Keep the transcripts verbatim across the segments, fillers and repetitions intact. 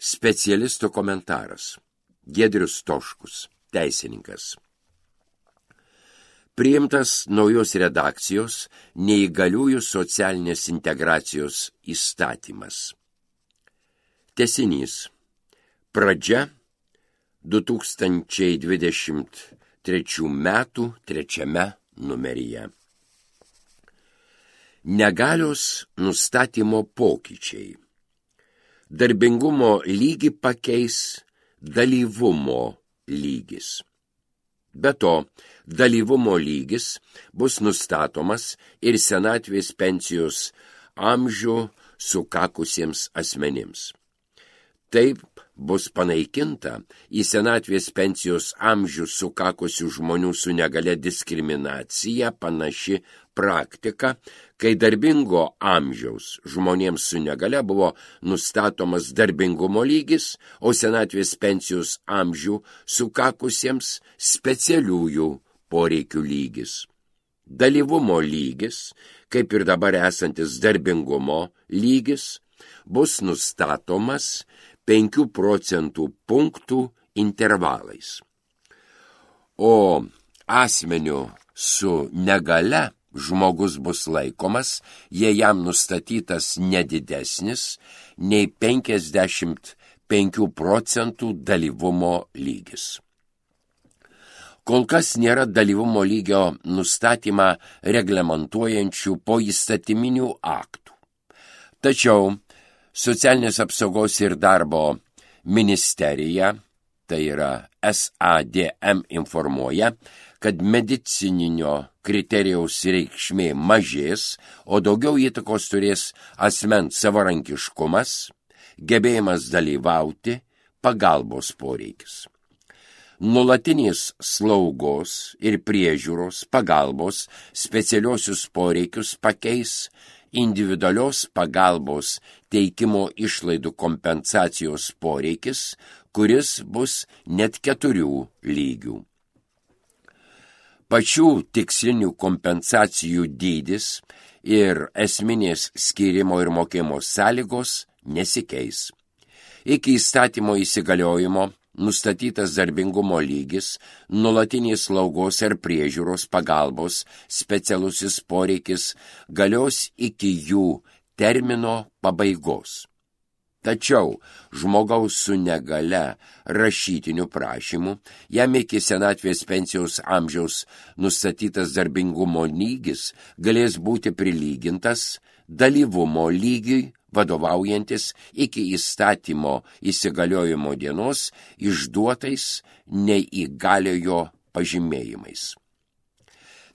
Specialisto komentaras. Giedrius Stoškus, teisininkas. Priimtas naujos redakcijos neįgaliųjų socialinės integracijos įstatymas. Tęsinys. Pradžia du tūkstančiai dvidešimt trečių metų trečiame numeryje. Negalios nustatymo pokyčiai. Darbingumo lygį pakeis dalyvumo lygis. Be to, dalyvumo lygis bus nustatomas ir senatvės pensijos amžių sukakusiems asmenims. Taip bus panaikinta į senatvės pensijos amžių sukakusių žmonių su negale diskriminacija panaši praktika, kai darbingo amžiaus žmonėms su negale buvo nustatomas darbingumo lygis, o senatvės pensijos amžių sukakusiems specialiųjų poreikių lygis. Dalyvumo lygis, kaip ir dabar esantis darbingumo lygis, bus nustatomas penkių procentų punktų intervalais. O asmeniu su negale žmogus bus laikomas, jei jam nustatytas nedidesnis nei penkiasdešimt penkių procentų dalyvumo lygis. Kol kas nėra dalyvumo lygio nustatymą reglamentuojančių poįstatyminių aktų. Tačiau Socialinės apsaugos ir darbo ministerija, tai yra S A D M, informuoja, kad medicininio kriterijaus reikšmė mažės, o daugiau įtakos turės asmens savarankiškumas, gebėjimas dalyvauti, pagalbos poreikis. Nuolatinės slaugos ir priežiūros pagalbos specialiosius poreikius pakeis individualios pagalbos teikimo išlaidų kompensacijos poreikis, kuris bus net keturių lygių. Pačių tikslinių kompensacijų dydis ir esminės skyrimo ir mokėjimo sąlygos nesikeis. Iki įstatymo įsigaliojimo nustatytas darbingumo lygis, nuolatinės slaugos ar priežiūros pagalbos specialusis poreikis galios iki jų termino pabaigos. Tačiau žmogaus su negale rašytiniu prašymu jam iki senatvės pensijos amžiaus nustatytas darbingumo lygis galės būti prilygintas dalyvumo lygiui, vadovaujantis iki įstatymo įsigaliojimo dienos išduotais neįgaliojo pažymėjimais.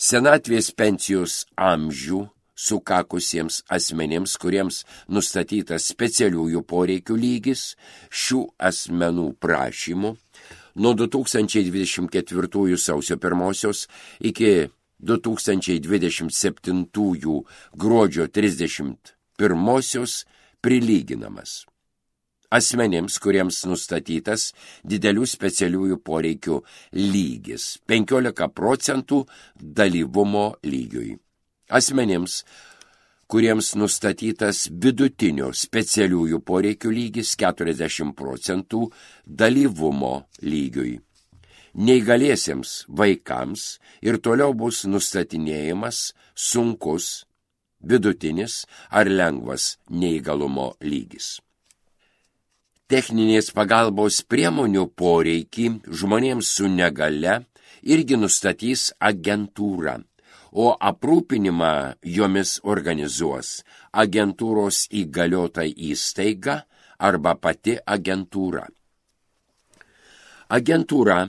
Senatvės pensijos amžių sukakusiems asmenims, kuriems nustatytas specialiųjų poreikių lygis, šių asmenų prašymų nuo du tūkstančiai dvidešimt ketvirtųjų sausio pirmosios iki du tūkstančiai dvidešimt septintųjų gruodžio trisdešimt pirmosios prilyginamas asmenims, kuriems nustatytas didelių specialiųjų poreikių lygis penkiolika procentų dalyvumo lygiui. Asmenims, kuriems nustatytas vidutinio specialiųjų poreikių lygis keturiasdešimt procentų dalyvumo lygiui. Neįgaliesiems vaikams ir toliau bus nustatinėjimas sunkus, vidutinis ar lengvas neįgalumo lygis. Techninės pagalbos priemonių poreikį žmonėms su negale irgi nustatys agentūra, o aprūpinimą jomis organizuos agentūros įgaliota įstaiga arba pati agentūra. Agentūra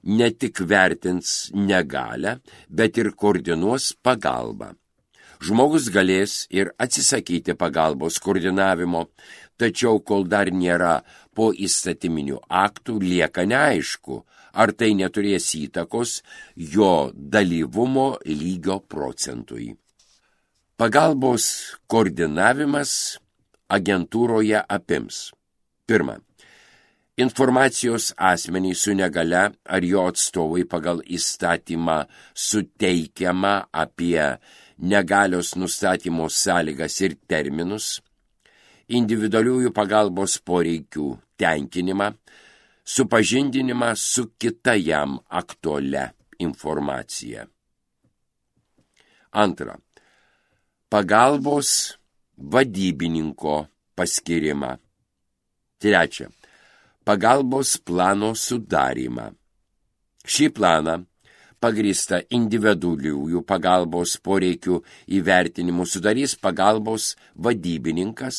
ne tik vertins negalę, bet ir koordinuos pagalbą. Žmogus galės ir atsisakyti pagalbos koordinavimo, tačiau kol dar nėra po įstatyminių aktų, lieka neaišku, ar tai neturės įtakos jo dalyvumo lygio procentui. Pagalbos koordinavimas agentūroje apims. Pirma. Informacijos asmeniai su negale ar jo atstovai pagal įstatymą suteikiama apie negalios nustatymo sąlygas ir terminus, individualiųjų pagalbos poreikių tenkinimą, supažindinimą su kita jam aktualia informacija. Antra. Pagalbos vadybininko paskirimą. Trečia. Pagalbos plano sudarymą. Šį planą pagrįstą individualiųjų pagalbos poreikių įvertinimu sudarys pagalbos vadybininkas,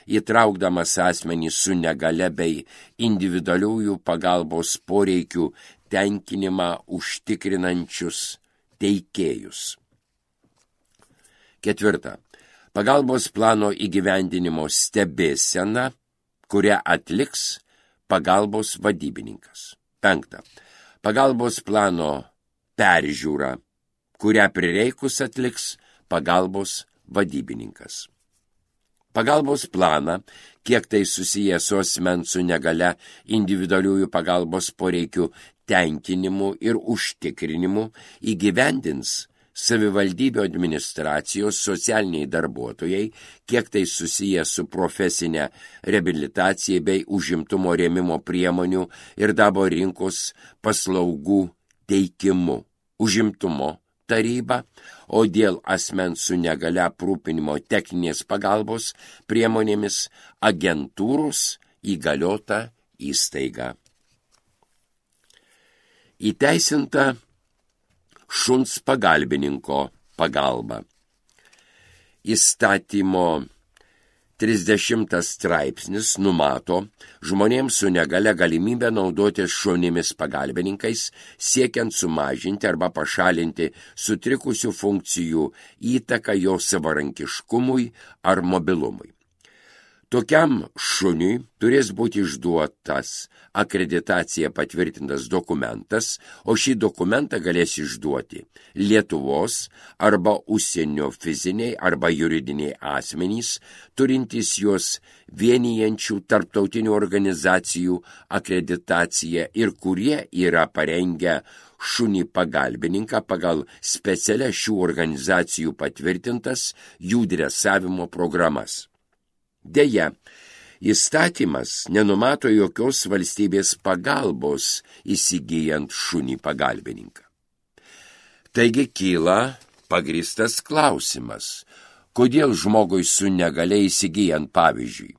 įtraukdamas asmenį su negale bei individualiųjų pagalbos poreikių tenkinimą užtikrinančius teikėjus. Ketvirta. Pagalbos plano įgyvendinimo stebėsena, kurią atliks pagalbos vadybininkas. Penkta. Pagalbos plano peržiūra, kurią prireikus atliks pagalbos vadybininkas. Pagalbos planą, kiek tai susiję su asmens su negale individualiųjų pagalbos poreikių tenkinimu ir užtikrinimu, įgyvendins savivaldybių administracijos socialiniai darbuotojai, kiek tai susiję su profesinė reabilitacija bei užimtumo rėmimo priemonių ir darbo rinkos paslaugų teikimu, užimtumo taryba, o dėl asmens su negale aprūpinimo techninės pagalbos priemonėmis agentūros įgaliota įstaiga. Įteisinta šuns pagalbininko pagalba. Įstatymo trisdešimtas straipsnis numato žmonėms su negale galimybę naudotis šunimis pagalbininkais, siekiant sumažinti arba pašalinti sutrikusių funkcijų įtaką jo savarankiškumui ar mobilumui. Tokiam šuniui turės būti išduotas akreditacija patvirtintas dokumentas, o šį dokumentą galės išduoti Lietuvos arba užsienio fiziniai arba juridiniai asmenys, turintys juos vienijančių tarptautinių organizacijų akreditaciją ir kurie yra parengę šunį pagalbininką pagal specialias šių organizacijų patvirtintas jų dresavimo programas. Deja, įstatymas nenumato jokios valstybės pagalbos įsigijant šunį pagalbininką. Taigi kyla pagrįstas klausimas, kodėl žmogui su negale įsigijant, pavyzdžiui,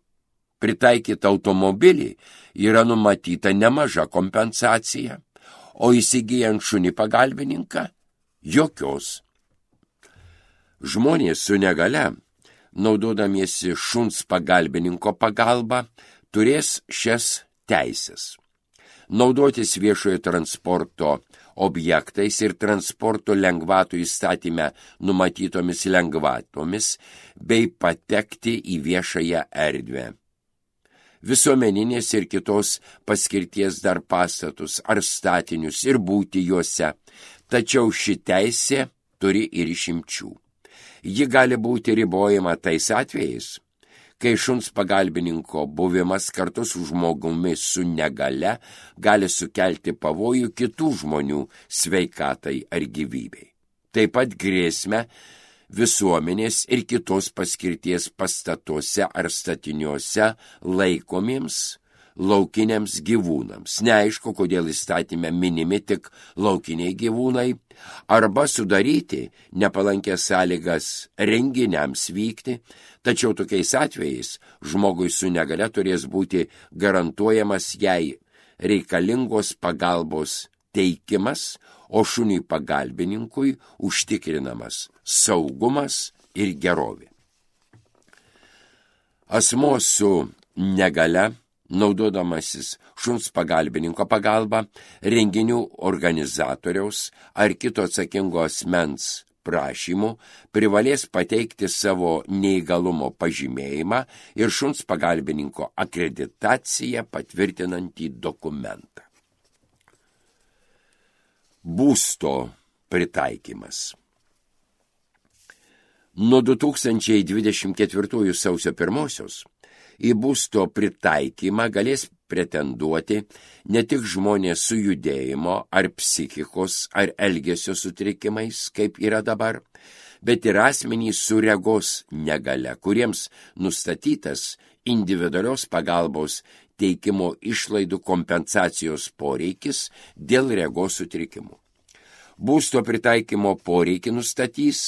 pritaikytą automobilį yra numatyta nemaža kompensacija, o įsigijant šunį pagalbininką jokios. Žmonės su negale, naudodamiesi šuns pagalbininko pagalba, turės šias teises. Naudotis viešojo transporto objektais ir transporto lengvatų įstatyme numatytomis lengvatomis bei patekti į viešąją erdvę. Visuomeninės ir kitos paskirties dar pastatus ar statinius ir būti juose, tačiau ši teisė turi ir išimčių. Ji gali būti ribojama tais atvejais, kai šuns pagalbininko buvimas kartu su žmogumi su negale gali sukelti pavojų kitų žmonių sveikatai ar gyvybei. Taip pat grėsmę visuomenės ir kitos paskirties pastatuose ar statiniuose laikomiems laukiniams gyvūnams. Neaišku, kodėl įstatyme minimi tik laukiniai gyvūnai, arba sudaryti nepalankės sąlygas renginiams vykti, tačiau tokiais atvejais žmogui su negale turės būti garantuojamas jai reikalingos pagalbos teikimas, o šuniui pagalbininkui užtikrinamas saugumas ir gerovė. Asmuo su negale, naudodamasis šuns pagalbininko pagalba, renginių organizatoriaus ar kito atsakingo asmens prašymų privalės pateikti savo neįgalumo pažymėjimą ir šuns pagalbininko akreditaciją patvirtinantį dokumentą. Būsto pritaikymas. Nuo du tūkstančiai dvidešimt ketvirtųjų sausio pirmosios į būsto pritaikymą galės pretenduoti ne tik žmonės su judėjimo ar psichikos ar elgesio sutrikimais, kaip yra dabar, bet ir asmenys su regos negale, kuriems nustatytas individualios pagalbos teikimo išlaidų kompensacijos poreikis dėl regos sutrikimų. Būsto pritaikymo poreikį nustatys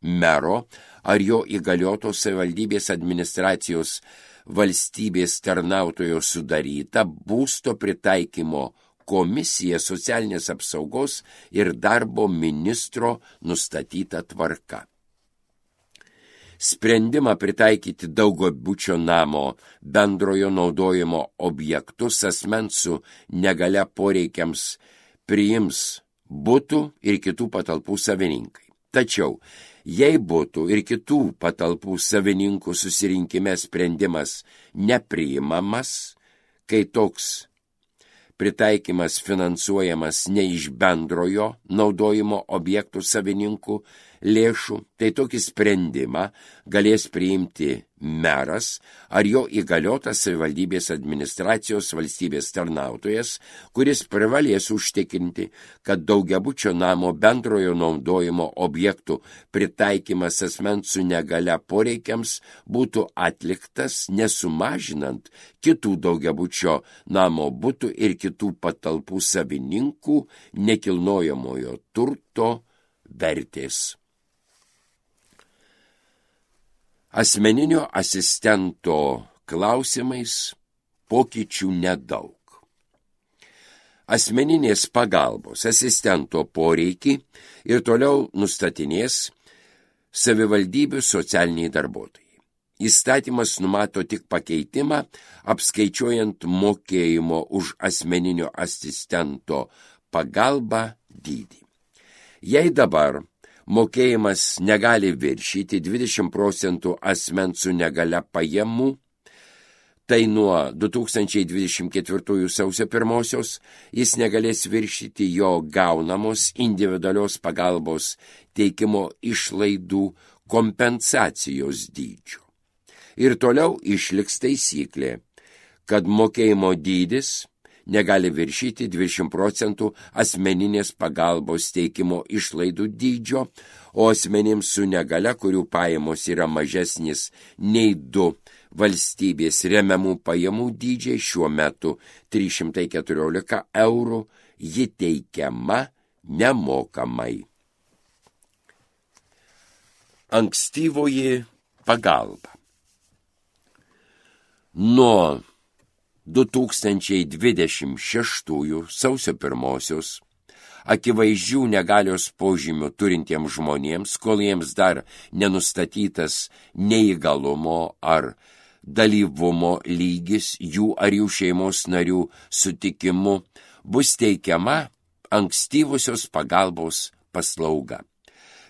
mero ar jo įgaliotos savivaldybės administracijos valstybės tarnautojo sudaryta būsto pritaikymo komisija socialinės apsaugos ir darbo ministro nustatyta tvarka. Sprendimą pritaikyti daugiabučio namo bendrojo naudojimo objektus asmens su negalia poreikiams priims butų ir kitų patalpų savininkai. Tačiau, jei butų ir kitų patalpų savininkų susirinkime sprendimas nepriimamas, kai toks pritaikymas finansuojamas ne iš bendrojo naudojimo objektų savininkų lėšų, tai tokį sprendimą galės priimti meras ar jo įgaliotas savivaldybės administracijos valstybės tarnautojas, kuris privalės užtikrinti, kad daugiabučio namo bendrojo naudojimo objektų pritaikymas asmens su negalia poreikiams būtų atliktas nesumažinant kitų daugiabučio namo butų ir kitų patalpų savininkų nekilnojamojo turto vertės. Asmeninio asistento klausimais pokyčių nedaug. Asmeninės pagalbos asistento poreikį ir toliau nustatinės savivaldybių socialiniai darbuotojai. Įstatymas numato tik pakeitimą, apskaičiuojant mokėjimo už asmeninio asistento pagalbą dydį. Jei dabar mokėjimas negali viršyti dvidešimt procentų asmens su negalia pajamų, tai nuo du tūkstančiai dvidešimt ketvirtųjų sausio pirmosios jis negalės viršyti jo gaunamos individualios pagalbos teikimo išlaidų kompensacijos dydžio. Ir toliau išliks taisyklė, kad mokėjimo dydis negali viršyti dvidešimt procentų asmeninės pagalbos teikimo išlaidų dydžio, o asmenims su negalia, kurių pajamos yra mažesnis nei du valstybės remiamų pajamų dydžiai, šiuo metu trys šimtai keturiolika eurų, ji teikiama nemokamai. Ankstyvoji pagalba. Nuo du tūkstančiai dvidešimt šeštųjų sausio pirmosios akivaizdžių negalios požymių turintiems žmonėms, kol jiems dar nenustatytas neįgalumo ar dalyvumo lygis jų ar jų šeimos narių sutikimu, bus teikiama ankstyvosios pagalbos paslauga.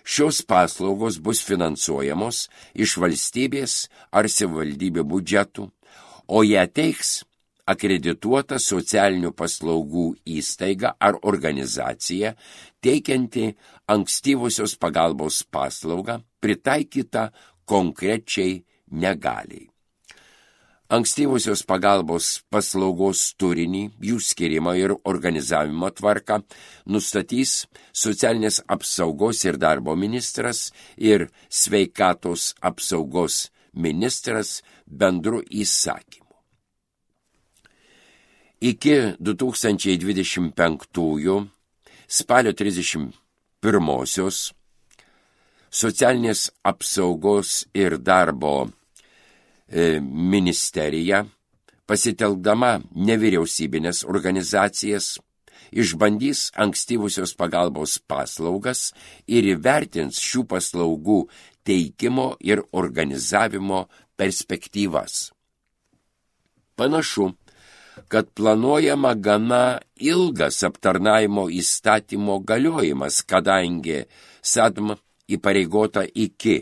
Šios paslaugos bus finansuojamos iš valstybės ar savivaldybių biudžetų, o ją teiks akredituota socialinių paslaugų įstaiga ar organizacija, teikianti ankstyvosios pagalbos paslaugą, pritaikyta konkrečiai negaliai. Ankstyvosios pagalbos paslaugos turinį, jų skirimą ir organizavimo tvarką nustatys socialinės apsaugos ir darbo ministras ir sveikatos apsaugos ministras bendru įsakymu. Iki du tūkstančiai dvidešimt penktųjų spalio trisdešimt pirmosios socialinės apsaugos ir darbo e, ministerija, pasitelkdama nevyriausybinės organizacijas, išbandys ankstyvusios pagalbos paslaugas ir įvertins šių paslaugų teikimo ir organizavimo perspektyvas. Panašu, kad planuojama gana ilgas aptarnavimo įstatymo galiojimas, kadangi S A D M įpareigota iki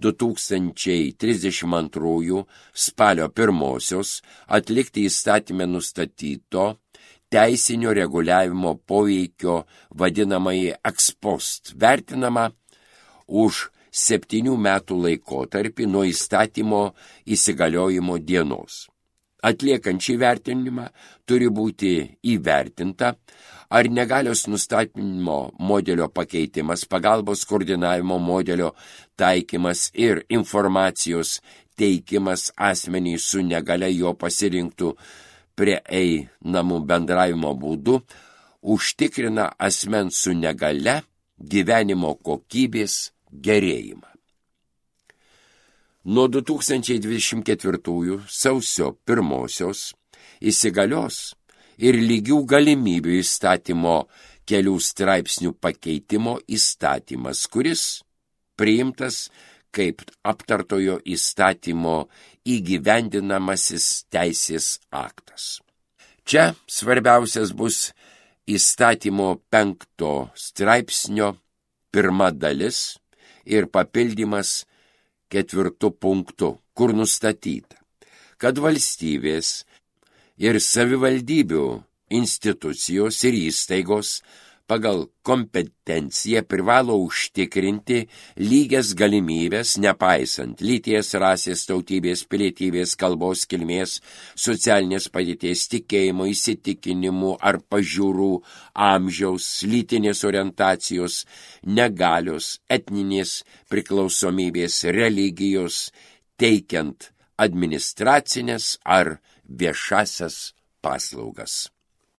du tūkstančiai trisdešimt antrųjų spalio pirmosios atlikti įstatymę nustatyto teisinio reguliavimo poveikio vadinamąjį ex post, vertinama už septynių metų laikotarpį nuo įstatymo įsigaliojimo dienos. Atliekant šį vertinimą turi būti įvertinta, ar negalios nustatymo modelio pakeitimas, pagalbos koordinavimo modelio taikymas ir informacijos teikimas asmeniai su negalia jo pasirinktų prieinamų bendravimo būdų užtikrina asmens su negale gyvenimo kokybės gerėjimą. Nuo du tūkstančiai dvidešimt ketvirtųjų sausio pirmosios įsigalios ir lygių galimybių įstatymo kelių straipsnių pakeitimo įstatymas, kuris priimtas kaip aptartojo įstatymo įgyvendinamasis teisės aktas. Čia svarbiausias bus įstatymo penkto straipsnio pirma dalis ir papildymas ketvirtu punktu, kur nustatyta, kad valstybės ir savivaldybių institucijos ir įstaigos pagal kompetenciją privalo užtikrinti lygias galimybės, nepaisant lyties, rasės, tautybės, pilietybės, kalbos, kilmės, socialinės padėties, tikėjimo, įsitikinimų ar pažiūrų, amžiaus, lytinės orientacijos, negalios, etninės priklausomybės, religijos, teikiant administracinės ar viešasias paslaugas.